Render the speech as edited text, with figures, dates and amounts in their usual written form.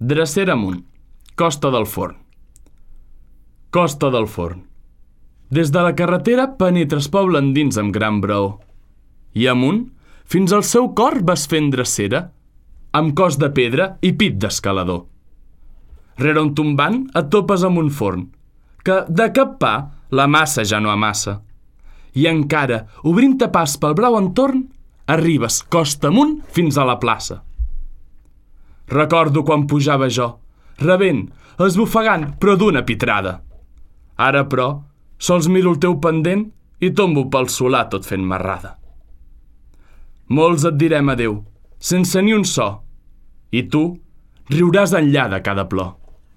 Drecera amunt, Costa del Forn. Costa del Forn. Des de la carretera penetres poble endins amb gran braó. I amunt, fins al seu cor vas fent drecera, amb cos de pedra i pit d'escalador. Rere un tombant et topes amb un forn, que de cap pa la massa ja no amassa. I encara, obrint-te pas pel brau entorn, arribes costa amunt fins a la plaça. Recordo quan pujava jo, rebent, esbufegant, però d'una pitrada. Ara, però, sols miro el teu pendent i tombo pel solar tot fent marrada. Molts et direm adeu, sense ni un so, i tu riuràs enllà de cada plor.